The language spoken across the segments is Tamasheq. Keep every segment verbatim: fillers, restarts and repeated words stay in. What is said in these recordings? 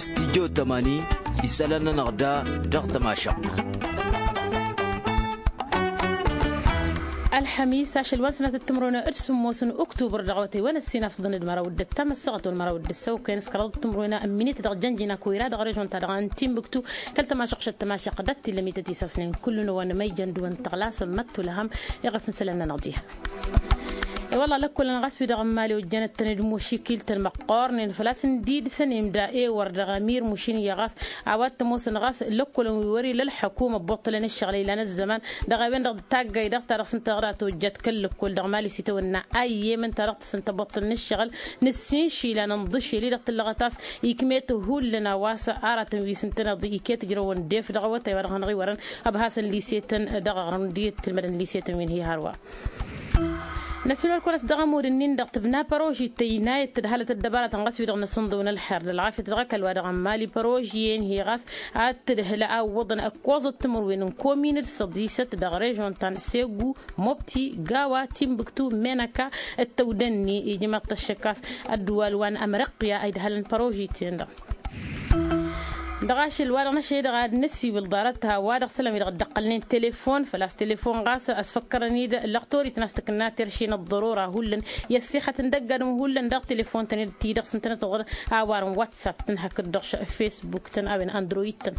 Stidyo tămani isălan-nănăɣ da dăɣ-tămašăɣt. Ălxămis ašăl wa n-sănatăt timrăwna d-sǝmmos n-uktubăr dăɣ-awătay wa n-ăssinafḍăn d-măraw d-ǝttam ăssaɣăt wăr măraw d-ǝssăwkăyăn s-kăraḍăt timrăwna n-minit dăɣ-jănjina koyra dăɣ-režon-ta-dăɣ n-timbuktu. Kăl-tămašăɣšăt tămašăɣt dăɣ-t-illa mităt isasnen kullu-năwăn ma ijăn dăɣ-wăn tăɣlasăn măttulăhăm. Iɣăf n-isălan-nănăɣ diha. I-wălla lăkkolăn ɣas wi-dăɣ n-mali ojjănăt-tăn d-mušikil-tăn măqqoornen făl-a-s n-dd-săn imda ewăr dăɣ-amir mušin iyyă ɣas a-wa t-ămoosăn ɣas lăkkolăn wi wăr-ila ălḥăkum ăbbuṭṭălăn ǝššăɣǝl ilan ăzzăman dăɣ-a-wen-dăɣ d-taggayt dăɣ-ta-dăɣ s-ǝnta dăɣ-tojjăt kăl-lăkkol dăɣ-mali s-itawănna ayyem ǝnta dăɣ-tǝssǝn tăbbuṭṭălăn ǝššăɣǝl. Nǝssin išilan ǝnḍǝšel-i dăɣ-tǝllăɣăt a-s ikmet hullan a-wa s-aratăn wi s-ǝntăneḍ iket ǝjrăwăn def dăɣ-awătay wa dăɣ-hanăɣ-iwărăn ăbhasăn lisetăn dăɣ-aɣrǝm d-iyyăt tǝlmădăn lisetăn wi n-hi hărwa. Năssin wăr kăwăn-ăsdăɣ amud-ǝnnin-dăɣ tǝbna părožit tăynayăt tǝdhalăt ăddăbaratăn ɣas wi-dăɣ n-asǝnḍǝw n-ălxer d-ălɣafyăt dăɣ-ăkall wa dăɣ-n mali părožiyăn-hi ɣas ad-tǝdhǝlă a ǝwwăḍăn ǝkkoẓăt timǝrwen n-komin d-săḍisăt dăɣ-režon ta n-segu mobti gawa timbuktu menăka d-tăwdănni ijmaḍ-t ăššăk a-s ăddǝwal wa n-ămrăqqǝya a idhălăn părožit-en-dăɣ. Dăɣ-ašăl wa-dăɣ n-ašăl-i-dăɣ ad-năsiwǝl ḍarăt ha-wa-dăɣ isălan-wi-dăɣ dd-ăqqălnen telefon făl-a-s telefon ɣas ăsfăkkărăn-dd lăɣtorit n-a-s tǝkǝnna terše n-ăḍḍărora hullan i-ăssixăt n-dăgg-adǝm hullan dăɣ-telefon-tăn-dd ti-dăɣ s-ǝntănăt-dd a-wa ărăn whatsapp-tăn hakd-dăɣ facebook-tăn a-wen android-tăn.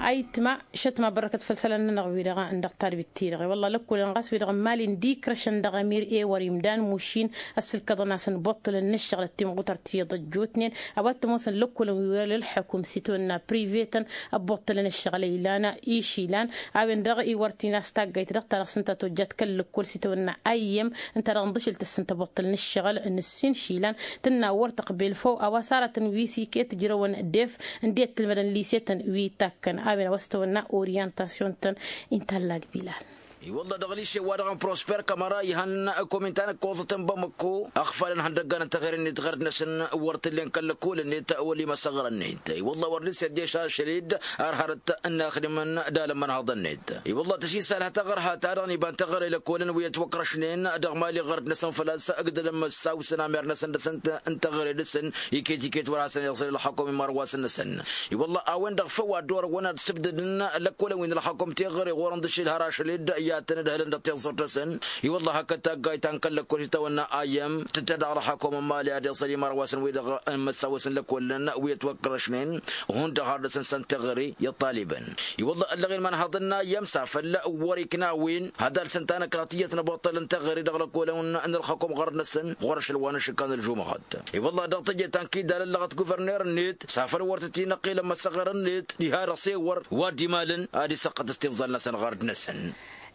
Ayǝtma šătma bărrăkăt făll-isălan-nănăɣ-wi-dăɣ n-dăɣ-tarbit-ti-dăɣ i-wălla lăkkolăn ɣas wi-dăɣ n-mali n-dikrăšăn dăɣ-emir ewăr imdan mušin ăssǝlkăḍăn-asăn buṭṭǝlăn n-ǝššăɣǝl ăttimɣutăr ti iḍăjjootnen a-wa t-ămoosăn lăkkolăn wi wăr-ila ălḥăkum s-itawănna prive-tăn ăbbuṭṭǝlăn ǝššăɣǝl ilan išilan a-wen-dăɣ iwăr tinas taggayt dăɣ-ta-dăɣ s-ǝnta tojjat kăl-lăkkol s-itawănna ayyem ǝnta-dăɣ ǝnḍǝšǝl tǝssǝn tăbuṭṭǝl n-ǝššăɣǝl n-ǝssin išilan tǝnna wăr tăqbel făw a-wa s-aratăn wi s-iket ǝjrăwăn def n-dd-iyyăt tǝlmădăn lise-tăn wi takkăn a-wen a-wa s-tawănna oryantasyon-tăn. Inta ăllag bilal. I-wălla dăɣ-lise-wa-dăɣ n-prosper kămăra ihăn komin ta n-ǝkkoẓăt n-bamăkko ăɣfalăn ihăndăggan n-teɣăre-net ɣărd-năsăn wăr t-ǝllen kăl-lăkol-net wăla imăsăɣrăn-net. I-wălla wăr dăr-s ed-ešašăl-dd ar hărăt n-inaxdimăn d-alămmănhăḍăn-net. I-wălla tăsisalhăt aɣărha-ta-dăɣ n-iba n-teɣăre lăkolăn wi ătwăkrăšnen dăɣ-mali ɣărd-năsăn făl-a-s ǝgdălăn măssaw s-ănamer-năsăn dăɣ-săn n-teɣăre dăɣ-săn iket-iket wăr hasăn-iẓǝl ălxăkum imarwas-năsăn. I-wălla a-wen-dăɣ făw ad-dd-orăwăn ad-sǝbdădăn lăkkolăn wi n-ălxăkum teɣăre ɣur-ǝnḍǝšǝl har ašăl-dd i-ad-tăn-ǝdhǝlăn dăɣ-tiẓẓurt-năsăn. I-wălla hakd taggayt ta n-kăl-lăkkol s-itawănna ayyăm tǝttădăɣ ălxăkum n-mali ad-iẓǝl imarwas-năsăn wi-dăɣ n-imăssaw-asăn lăkolăn wi ătwăkrăšnen hundăɣ har dăɣ-săn s-ănn teɣăre i-ăṭṭalibăn. I-wălla ăllăɣen imanhăḍăn n-ayyăm s-afăl wăr-ikna a-wen had-alsăn tanăkraḍt iyyăt n-abuṭṭăl n-teɣăre dăɣ-lăkolăn n-ălxăkum ɣărăt-năsăn ɣur-ašăl wa n-ašǝkkan ălžumăɣăt. I-wălla dăɣ-teje ta n-kidal ăllăɣăt guverner-net s-afăl wăr tăt-inăqqel ămmăsăɣăr-net diha-dăɣ s-ewăr wa dd-imalăn ad-isăqqăt s-timẓal-năsăn ɣărăt-năsăn.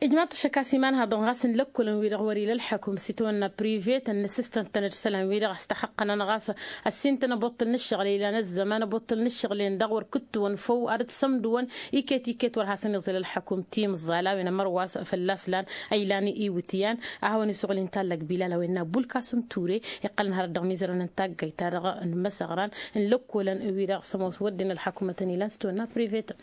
Ijmaḍ-t ăššăk a-s imanhăḍăn ɣas n-lăkkolăn-wi-dăɣ wăr-ila ălḥăkum s-itawănna prive-tăn n-asǝstăn-tăn-dd isălan-wi-dăɣ a-s tăxăqqănăn ɣas ăssin-tăn abuṭṭǝl n-ǝššăɣǝl ilan ăzzăman abuṭṭǝl n-ǝššăɣǝl-en-dăɣ wăr kǝttǝwăn făw ad-dd-sămdǝwăn iket iket wăr hasăn-iẓǝl ălḥăkum timẓal a-wen ămărwas fălla-s lan a ilan iwǝtyan. A hawăn-isuɣǝl inta ăllăg bilal a-wen n-abulkasǝm ture iqqălăn hărăt dăɣ-imizărăn n-taggayt-ta-dăɣ n-imăsăɣran n-lăkkolăn-wi-dăɣ s-ămoos wădden ălḥăkumătăn ilan s-tawănna prive-tăn.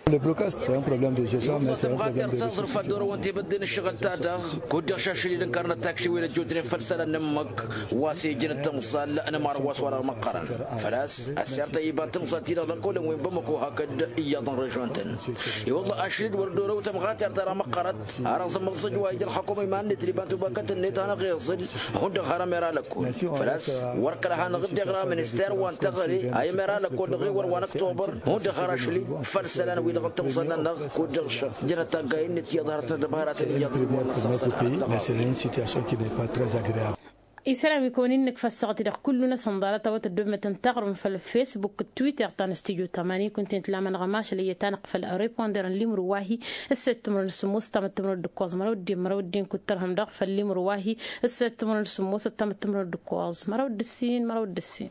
Ălbulkas s-e-un problăm de gestion. Măsăɣ tăɣ-tăɣ-tăɣ ẓrǝf-ad-dd-orăwăn tebădde n-ǝššăɣǝl-ta-dăɣ kud-dăɣ šašăl-i d-ǝnkărnăt takši wi n-ăjjootnen făll-isălan n-ǝmmǝk wa s-e-ijăn d-timẓal n-imărwas-wa-dăɣ măqqărăn. Făl-a-s ăssirtăy iba n-timẓal-ti-dăɣ lăkkolăn wi n-bamăko hakd iyyăḍ n-režion-tăn. I-wălla ašăl-i d-wăr dd-orăw tămɣatert-ta-dăɣ măqqărăt. Har ăẓǝmmăẓ s-ăjwayǝj ălxăkum iman-net d-iba n-tubakăt-net hanăɣ-iẓǝl hundăɣ har ămera lăkkol. Făl-a-s wăr kăla hanăɣ-dd-iɣra minister wa n-teɣăre a imera lăkkol dăɣ-ewăr wa n-ăktobăr. Hundăɣ har ašăl-i făll-isălan-wi-dăɣ n-timẓal-nănăɣ kud-dăɣ jănăt taggayen-net iyyăḍ hărăt n-ăddăbaratăn iyyăḍ wi-dăɣ wăr năssăɣsăr. Isălan wi kăwăn-innăk făssăɣ-t-i-dăɣ kullu-năsăn ḍarăt a-wa tăddoobmătăn taɣrǝm făll-facebook d-twitter ta n-studyo tamani kunta-en tǝla amănăɣ ămašăl iyyăt-anăɣ făll-reponder n-limru wa-hi. Ǝsset timǝrwen d-sǝmmos ăttam d-timǝrwen d-ǝkkoẓ măraw d-ǝddin măraw d-ǝddin kud-tărhăm daɣ făll-limru wa-hi. Ǝsset timǝrwen d-sǝmmos ăttam d-timǝrwen d-ǝkkoẓ măraw d-ǝssin măraw d-ǝssin.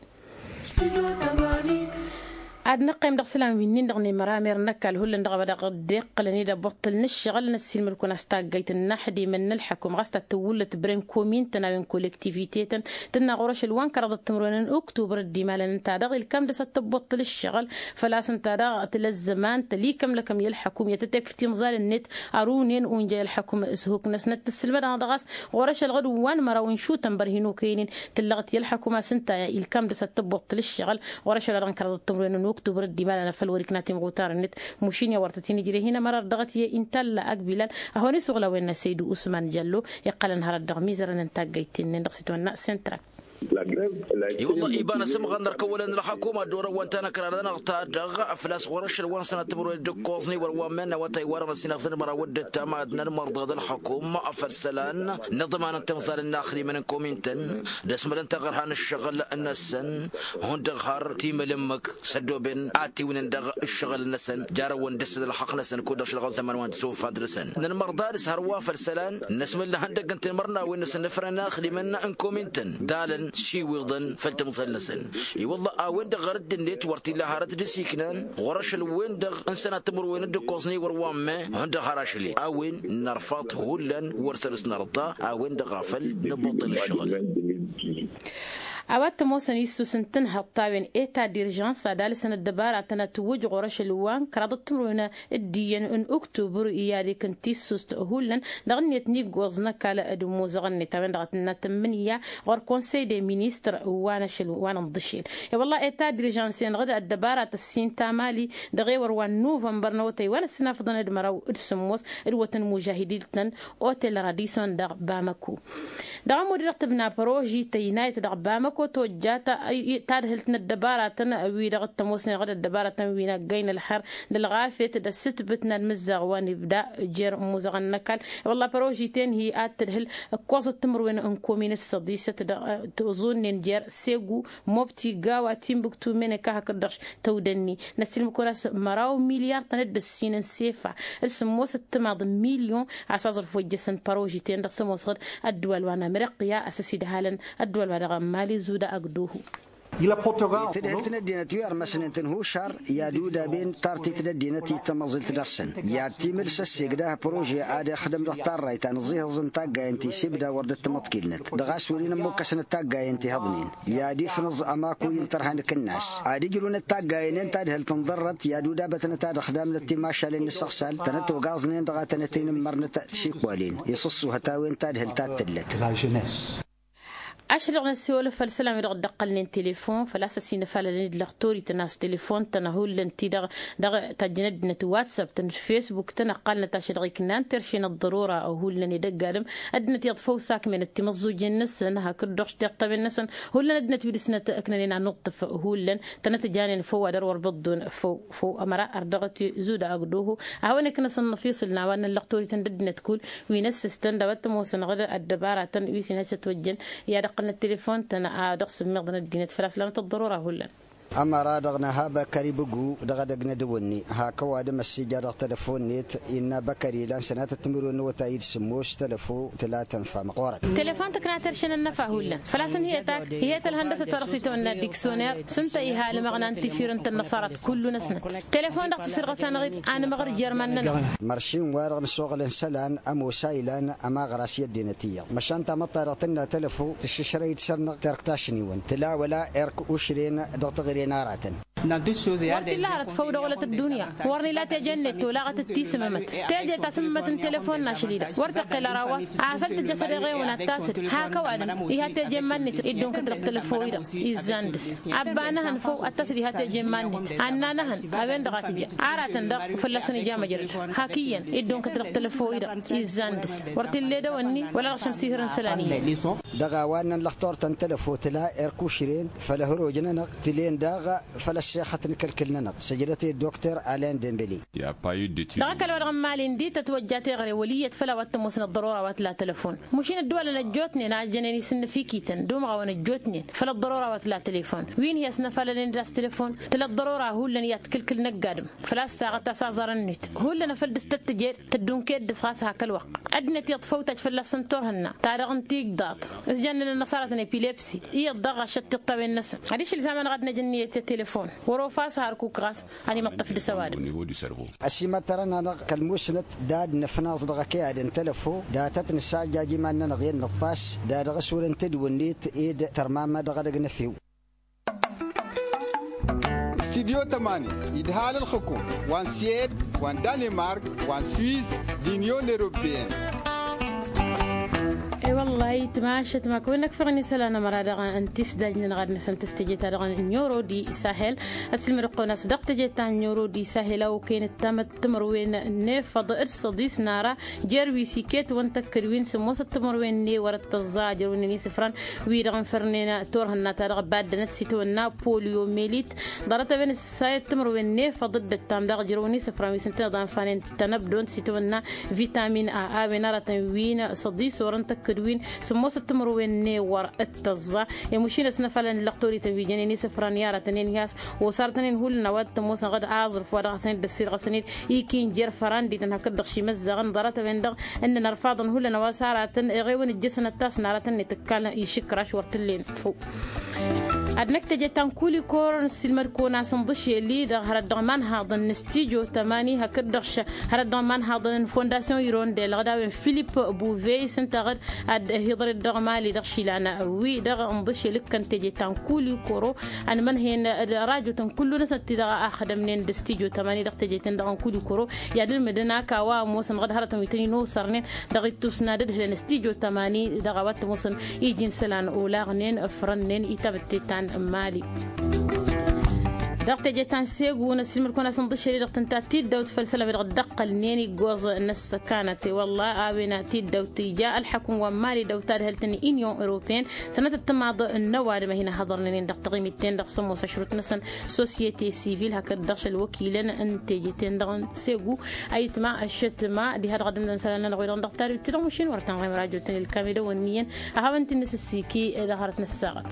Ad-năqqim dăɣ-isălan wi-nin-dăɣ n-emăramer n-ăkall hullan dăɣ-a-wa dăɣ-dd-iqqălăn i-dd-ăbbuṭṭǝl n-ǝššăɣǝl n-ăssiilmăd-kăwăn a-s taggayt n-inaxdimăn n-ălḥăkum ɣas ta tǝwwǝllăt bren komin-tăn a-wen kolektivite-tăn tǝnna ɣur-ašăl wa n-kăraḍăt timǝrwen n-uktubăr dd-imalăn ǝnta-dăɣ ilkam dăɣ-s ad-tăbbuṭṭǝl ǝššăɣǝl. Făl-a-s ǝnta-dăɣ tǝla ăzzăman tălikămlăkăm i-ălḥăkum i-ad-tătekf timẓal-net ărunen unja i-ălḥăkum s-huk-năsnăt tǝssǝlmăd-anăɣ dăɣ-a-s ɣur-ašăl ɣǝd wa n-măraw n-išutăn bărhin okăynen. Tǝllăɣăt i-ălḥăkum a-s ǝnta ilkam dăɣ-s ad-tăbbuṭṭǝl ǝššăɣǝl ɣur-ašăl a dăɣ-n kăraḍăt timǝrwen n-uktubăr dd-imalăn afăl wăr-ikna timɣutar-net. Mušin i-a wăr tăt-in-ǝjreh hin-ămăra dăɣ-t i-inta ălla akbilal a hawăn-isuɣǝl a-wen n-asăydu usman jallo iqqălăn hărăt dăɣ-imizărăn n-taggayt-ten-nin dăɣ-s itwănna sentrak. I-wălla iba n-asǝmɣăn n-ărkăwălăn n-ălxakuma dd-orăwăn tanăkra-nănăɣ ta-dăɣ făl-a-s ɣur-ašăl wa n-sănat timǝrwen d-ǝkkoẓ n-iwăr wa n-menna wa ta iwarăn ăsinafḍăn măraw d-ǝttam ad-nănmărḍăɣ d-ălxakum făll-isălan n-iḍman n-timẓal n-inaxdimăn n-komin-tăn d-ăsmălăn taɣărha n-ǝššăɣǝl-năsăn. Hundăɣ har timǝlǝmmǝk s-ăddooben ad-tiwǝnăn dăɣ-ǝššăɣǝl-năsăn jarăwăn dăr-s d-ălxăqq-năsăn kud-dăɣ šălɣăn zăman wa n-tisufad dăr-săn. Nănmărḍa dăr-s hărwa făll-isălan n-asmǝlla ihăndăgg n-tinmărnawen-năsăn n-efăren inaxdimăn n-komin-tăn dalăn siwiḍăn făll-timẓal-năsăn. I-wălla a-wen-dăɣ ɣărădd-net wăr t-illa hărăt d-asiknan ɣur-ašăl-wen-dăɣ n-sănat timǝrwen d-ǝkkoẓ n-iwăr wa n-me hundăɣ har ašăl-e a-wen nărfaḍ hullan wăr săr-s nărḍa. A-wen-dăɣ a făl năbuṭṭăl ǝššăɣǝl. A-wa t-ămoosăn issus n-tǝnhăḍt ta-wen eta d-irjans ad-alǝsăn ăddăbaratăn ad-tǝwwǝj ɣur-ašăl wa n-kăraḍăt timǝrwen d-iyyăn n-uktubăr i-ad-ikǝn tissust hullan dăɣ-net n-iggoẓ n-ăkall d-ămoozăɣ-net a-wen-dăɣ a tǝnna tǝmmǝnǝya ɣur-konsăy de ministăr wa n-ašăl wa n-ǝnḍǝšel. I-wălla eta d-irjans-en ɣǝd ăddăbarat ăssin ta mali dăɣ-ewăr wa n-nuvănbăr n-awătay wa n-ăssinafăḍăn d-măraw d-sǝmmos d-wătăn mužahidil-tăn otel radison dăɣ-bamăko. Dăɣ-ămudd-dăɣ tǝbna păroži tăynayăt dăɣ-bamăko tojja tadhǝlt n-ăddăbaratăn wi-dăɣ t-ămoosnen ɣǝd ăddăbaratăn wi n-aggay n-ălxer d-ălɣafyăt d-ăssǝtbǝt n-ad-mǝzzaɣ wa n-ibda jer-ămmuẓăɣăn n-ăkall. I-wălla păroži-ten hi-ad-tǝdhǝl ǝkkoẓăt timǝrwen n-komin s-săḍisăt dăɣ-tǝẓunnen jer-segu mobti gawa timbuktu meneka hakd-dăɣ tăwdănni n-ăssiilmǝk-wăn a-s măraw milyar-tăn d-ǝssin n-sefa d-sǝmmos d-timaḍ n-milyon. A-s aẓrǝf wa ijjăsăn păroži-ten-dăɣ s-ămoosăɣ-dd ăddwal wa n-ameriqya a-s ăsidhalăn ăddwal wa dăɣ-mali zuda agduhu. Tǝdhǝlt n-ăddinăt wi ărmăsnen tǝnhušar i-ad-udaben tartit n-ăddinăt i-tamăẓilt dăr-săn i-ad-timǝls ăssegdăh părože ad-ixdăm dăɣ-tarrayt ta n-aẓihǝẓ n-taggayen ti s-ibda wăr dd-tǝmǝḍkilnăt dăɣ-a-s wăr-in ămmukkăsnăt taggayen ti hăḍnen i-ad-ifnǝẓ ămakuy n-tărha n-akǝnnas ad-ǝjrǝwnăt taggayen-en tadhǝlt n-ḍărrăt i-ad-udabătnăt ad-ăxdamnăt timašalen n-asăɣsal tănăt-ogaẓnen dăɣ-ad-tănăt-in-ǝmmărnăt tišikwalen. Iṣǝṣṣuhăt a-wen tadhǝlt ad-tǝllăt. Ašăl-dăɣ n-ăssiwălăf făll-isălan wi-dăɣ dd-ăqqălnen telefon făl-a-s ăsinăfalălăn-dd lăxtorităn a-s telefon-tăn hullan-ti-dăɣ dăɣ-tajjăn ăddinăt watsap-tăn d-fesbuk-tăn ăqqalnăt ašăl-dăɣ iknan terše n-ăḍḍărora hullan edăgg adǝm. Ăddinăt iyyăḍ făw sakmenăt timǝẓẓujen-năsăn hakd-dăɣ tiṭṭawen-năsăn. Hullan ăddinăt wi dăr-snăt ǝknănen anuṭṭǝf hullan tănăt-ǝjanen făw ad-ărwăr bǝḍḍun făw făw ămăra ărdăɣăt zuda agduhu. A hawăn-iknăsăn năfiṣǝl n-a-wa n-lăxtorităn d-ăddinăt kull wi n-ăssistăn d-a-wa t-ămoosăn ɣǝd ăddăbaratăn wi s-inhăj s-ătwăjjăn i-ad-ǝqqǝlnăt telefon-tăn a dăɣ-sǝmmiḍăn ăddinăt făl-a-s lanăt ăḍḍărora hullan. Ămăra-dăɣ n-aha băkări bǝgu dăɣ-edăgg n-edăwănni hak ăwadǝm ăssija dăɣ-telăfon-net innă băkări ilan sănatăt timǝrwen n-awătay d-sǝmmos tălăfo tǝla tănfa măqqoorăt. Telefon tǝkna terše n-ănnăfa hullan făl-a-s ǝnhǝyăt ak ihet ălhăndăsăt wa dăɣ-s itawănna diksoner s-ǝnta iha almăɣna n-tifirǝnt n-năṣarăt kullu-năsnăt. Telefon-dăɣ tǝsǝrɣăs-anăɣ-dd anmăɣ ărjer iman-nănăɣ. Măršin-wa-dăɣ n-ăsoɣălăn isălan ămoos a ilan ămaɣras i-ăddinăt iyyăḍ măšan tamăḍt-ta-dăɣ tǝnna tălăfo tǝššǝšrăy-dd săr-năɣ terk tašniwăn tǝla wăla erk ušren dăɣ-teɣăre n-aratăn. Wăr t-illa hărăt făw dăɣ-olăt ăddunya wăr nila teje-net olaɣăt d-tisǝmmămăt. Teje ta sǝmmămăt n-telefon n-ašăl-i-dăɣ wăr tăqqel ăraw a-s afăl tǝjjăš ad-eɣewăn ad-tasǝd hak ăwadǝm iha teje n-iman-net. Dd-unkăt dăɣ-telăfo-i-dăɣ izzan dăɣ-s abba n-ehăn făw ad-tasǝd iha teje n-iman-net. Anna n-ehăn a-wen-dăɣ a tǝja aratăn daɣ fălla-săn ija măjrăd. Hak iyyăn dd-unkăt dăɣ-telăfo-i-dăɣ izzan dăɣ-s wăr t-illa edăwănni wăla dăɣ-šămsihăr n-isălan iyyăn. Dăɣ-a-wa ǝnnăn lăxtor ta n-telăfo tǝla erk ušren făll-ăhroj-nănăɣ tǝlen daɣ făll-ăssexăt n-kăl-kăl-nănăɣ săjdăt-e dokter alen dembeli. Dăɣ-ăkall wa dăɣ-n mali ǝndi tătwăjja teɣăre wăl' iyyăt făll-a-wa t-ămoosăn ăḍḍărora wa tǝla telăfon. Mašin ăddăwalăn ăjjootnen a jănen isǝnnăfikităn d-umɣawăn ăjjootnen făll-ăḍḍărora wa tǝla telăfon. Wi n-hi-ăsnăfalănen d-a-s telăfon tǝla ăḍḍărora hullan i-ad-t-kǝlkǝl năgg-adǝm. Făl-a-s saɣăt a-s aẓarăn-net hullan afăl dăɣ-s tăt-tǝjed tăddunked dăɣ-s ɣas hak ălwăqq. Ăddinăt iyyăḍ făw tajj fălla-săn turhǝnna ta dăɣ-n tigḍaḍt s-jannen ănnăṣarătăn epilepsi. Iyyăḍ daɣ ɣašăt tiṭṭawen-năsăn adiš ălzamăn dăɣ-ad-năj ǝnniyăt i-telefon. Wăr-ofas hărkuk ɣas ad-imǝṭṭăf dăɣ-s ăwadǝm. Ăsimăttărăn-anăɣ kăl-musnăt d-ad-nǝfnaẓ dăɣ-ăkăyad n-telăfo. Datăt nǝssajjaj iman-nănăɣ i-ănnăṭṭaš da dăɣ-s wăren tedwǝnnet ed tărmamma dăɣ-edăgg n-efew. Studyo tămani idhal ǝlxǝkum wa n-suwed wa n-danemark wa n-swiss d-inyon eropeyăn. E-wălla-hi tmašăt ma kăwăn-năkfăɣ n-isălan ămăra dăɣ-n tisdaj-nănăɣ ad-năsăn tăstăje-ta-dăɣ n-euro d-isahel. Ăsilmăd-kăwăn a-s dăɣ-teje ta n-euro d-isahel a okăyăn ǝttamăt timărwen n-efăḍ d-săḍis n-ara jer-wi s-iket wăn tăkkăd wi n-sǝmmosăt timărwen n-ewăr d-tăẓẓa jer-wi n-isǝfran wi-dăɣ n-fărnen turhǝnna-ta-dăɣ baddănăt s-itawănna poliomelit. Ḍarăt-a-wen ǝssayăt timărwen n-efăḍ d-ǝttam daɣ ǝjrăwăn isǝfran wi s-ǝntăneḍ anfanen tănăbdont s-itawănna vitamin a a-wen aratăn wi n-săḍis orăn tăkkăd wi n-sǝmmosăt timărwen n-ewăr d-tăẓẓa. Emušin ăsnăfalăn n-lăqtorităn wi jănen isǝfran i-aratăn enhas osartăn-in hullan a-wa t-ămoosăn ɣǝd aẓrǝf wa dăɣ-hasăn-dd-ăssirɣăsăn-dd ikin jer-fărandităn hakd-dăɣ šimăzzaɣăn ḍarăt-a-wen-dăɣ ǝnnăn ărfaḍăn hullan a-wa s-aratăn eɣewăn ǝjjăsăn ăttas n-aratăn n-itǝkkalăn išǝkraš wăr t-ǝllen făw. Ad-năkk teje ta n-kulikor n-silmăd-kăwăn a-s ǝnḍǝšel-i-dăɣ hărăt dăɣ-imanhaḍăn n-stijo tămani hakd-dăɣ hărăt dăɣ-imanhaḍăn n-fondasyon irondel ɣǝd a-wen filip buvey s-ǝnta ɣǝd ad-hiḍăret dăɣ-mali dăɣ-išilan wi-dăɣ ǝnḍǝšel ǝkkăn teje ta n-kulikoro. Ănmănhăyăn d-rajotăn kullu-năsăn ti-dăɣ a ăxdămnen d-stijo tămani dăɣ-teje-ten-dăɣ n-kulikoro. I-ad-ǝlmǝdăn ak a-wa ămoosăn ɣǝd hărătăn wi tăn-in-osărnen dăɣ-ittus n-ad-ǝdhǝlăn stijo tămani dăɣ-a-wa t-ămoosăn iji n-isălan olaɣnen ǝfrănnen i-tamǝtte ta n-mali. Dăɣ-teje ta n-segu n-ăsilmăd-kăwăn a-s ǝnḍǝšel-i-dăɣ tǝnta tiddawt făll-isălan wi-dăɣ dd-ăqqălnen iggoẓ n-ăssăkanăt i-wălla a-wen tiddawt ija ălḥăkǝm wa n-mali dăw-tadhǝlt n-inyon europeyăn. Sănătăt timaḍ n-ăwadǝm a hin-ăhhăḍărnen-in dăɣ-taɣimit-ten-dăɣ sămoos ašrut-năsăn sosyete sivil hakd-dăɣ šăl wăkilăn n-teje-ten-dăɣ n-segu. Ayǝtma ăššătma diha dăɣ-ad-ǝmdăn isălan-nănăɣ wi-dăɣ n-dăɣ tadǝwt-ti-dăɣ mašin wăr tăn-ɣimăr ajo-tăn ilkam i-dăɣ wănniyăn. Ad-hawăn-t-in-nǝsǝssiki dăɣ-hărăt n-ăssaɣăt.